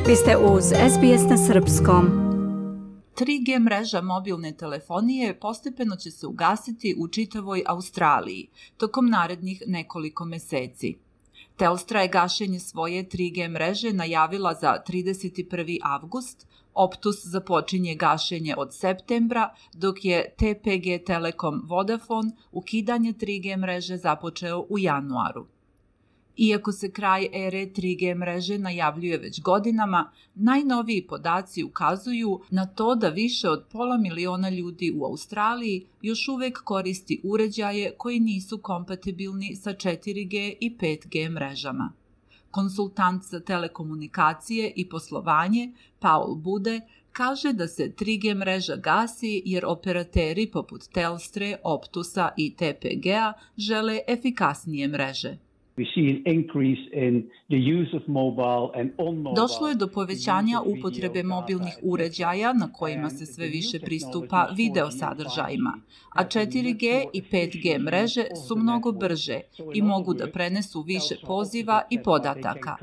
Vi ste uz SBS na srpskom. 3G mreža mobilne telefonije postepeno će se ugasiti u čitavoj Australiji tokom narednih nekoliko meseci. Telstra je gašenje svoje 3G mreže najavila za 31. avgust, Optus započinje gašenje od septembra, dok je TPG Telekom Vodafone ukidanje 3G mreže započeo u januaru. Iako se kraj ere 3G mreže najavljuje već godinama, najnoviji podaci ukazuju na to da više od 500.000 ljudi u Australiji još uvek koristi uređaje koji nisu kompatibilni sa 4G i 5G mrežama. Konsultant za telekomunikacije i poslovanje Paul Bude kaže da se 3G mreža gasi jer operateri poput Telstre, Optusa i TPG-a žele efikasnije mreže. Došlo je do povećanja upotrebe mobilnih uređaja na kojima se sve više pristupa video sadržajima, a 4G i 5G mreže su mnogo brže i mogu da prenesu više poziva i podataka.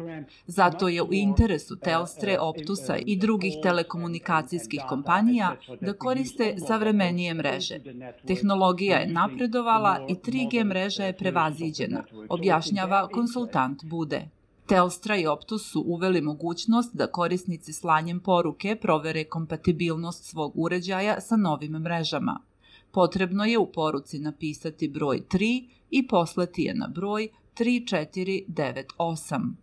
Zato je u interesu Telstre, Optusa i drugih telekomunikacijskih kompanija da koriste savremenije mreže. Tehnologija je napredovala i 3G mreža je prevaziđena, objašnjava konsultant Bude. Telstra i Optus su uveli mogućnost da korisnici slanjem poruke provere kompatibilnost svog uređaja sa novim mrežama. Potrebno je u poruci napisati broj 3 i poslati je na broj 3498.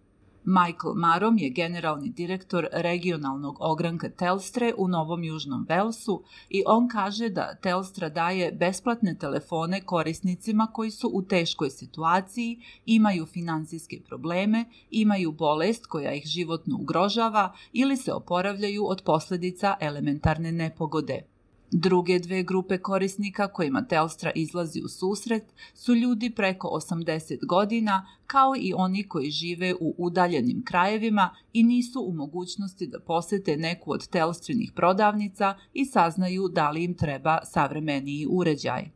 Michael Marom je generalni direktor regionalnog ogranka Telstre u Novom Južnom Velsu i on kaže da Telstra daje besplatne telefone korisnicima koji su u teškoj situaciji, imaju finansijske probleme, imaju bolest koja ih životno ugrožava ili se oporavljaju od posljedica elementarne nepogode. Druge dve grupe korisnika kojima Telstra izlazi u susret su ljudi preko 80 godina, kao i oni koji žive u udaljenim krajevima i nisu u mogućnosti da posete neku od Telstrinih prodavnica i saznaju da li im treba savremeniji uređaj.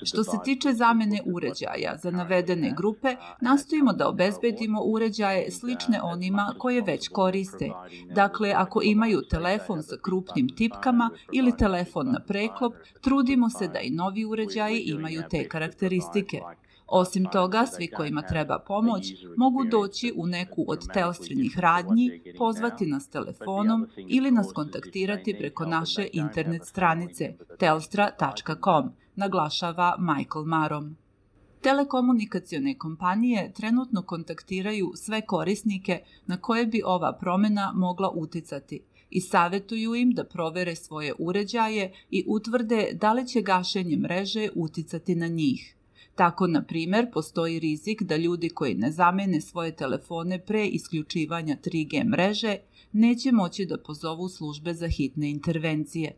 Što se tiče zamene uređaja za navedene grupe, nastojimo da obezbedimo uređaje slične onima koje već koriste. Dakle, ako imaju telefon sa krupnim tipkama ili telefon na preklop, trudimo se da i novi uređaji imaju te karakteristike. Osim toga, svi kojima treba pomoć mogu doći u neku od Telstrinih radnji, pozvati nas telefonom ili nas kontaktirati preko naše internet stranice telstra.com, naglašava Michael Marom. Telekomunikacione kompanije trenutno kontaktiraju sve korisnike na koje bi ova promjena mogla uticati i savjetuju im da provere svoje uređaje i utvrde da li će gašenje mreže uticati na njih. Tako, na primjer, postoji rizik da ljudi koji ne zamene svoje telefone pre isključivanja 3G mreže neće moći da pozovu službe za hitne intervencije.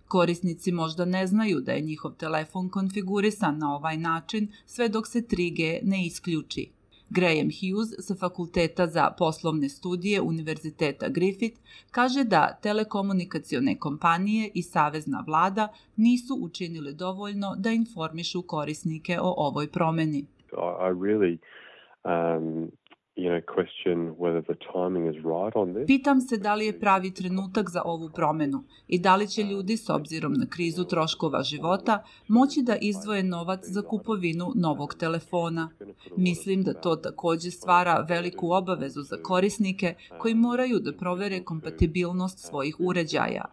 Korisnici možda ne znaju da je njihov telefon konfigurisan na ovaj način sve dok se 3G ne isključi. Graham Hughes sa Fakulteta za poslovne studije Univerziteta Griffith kaže da telekomunikacione kompanije i savezna vlada nisu učinile dovoljno da informišu korisnike o ovoj promjeni. Pitam se da li je pravi trenutak za ovu promjenu i da li će ljudi s obzirom na krizu troškova života moći da izdvoje novac za kupovinu novog telefona. Mislim da to također stvara veliku obavezu za korisnike koji moraju da provere kompatibilnost svojih uređaja.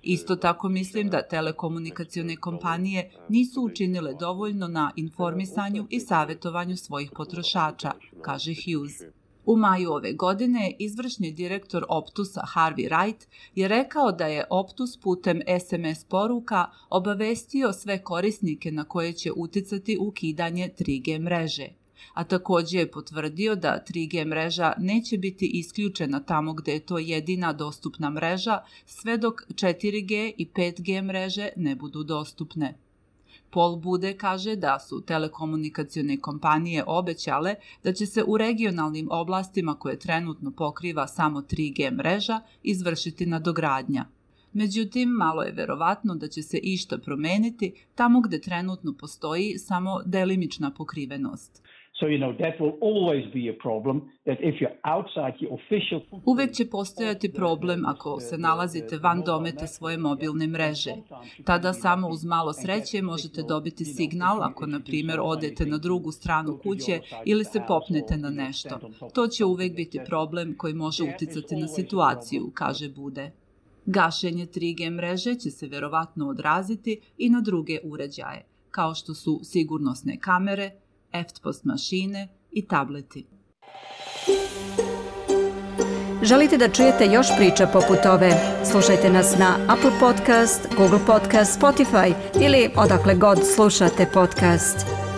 Isto tako mislim da telekomunikacione kompanije nisu učinile dovoljno na informisanju i savjetovanju svojih potrošača, kaže Hughes. U maju ove godine izvršni direktor Optusa Harvey Wright je rekao da je Optus putem SMS poruka obavestio sve korisnike na koje će uticati ukidanje 3G mreže. A također je potvrdio da 3G mreža neće biti isključena tamo gde je to jedina dostupna mreža sve dok 4G i 5G mreže ne budu dostupne. Paul Bude kaže da su telekomunikacione kompanije obećale da će se u regionalnim oblastima koje trenutno pokriva samo 3G mreža izvršiti nadogradnja. Međutim, malo je verovatno da će se išta promeniti tamo gde trenutno postoji samo delimična pokrivenost. Uvek će postojati problem ako se nalazite van dometa svoje mobilne mreže. Tada samo uz malo sreće možete dobiti signal ako, na primjer, odete na drugu stranu kuće ili se popnete na nešto. To će uvek biti problem koji može uticati na situaciju, kaže Bude. Gašenje 3G mreže će se verovatno odraziti i na druge uređaje, kao što su sigurnosne kamere, EFTPOS mašine i tableti. Želite da čujete još priča poput ove? Slušajte nas na Apple Podcast, Google Podcast, Spotify ili odakle god slušate podcast.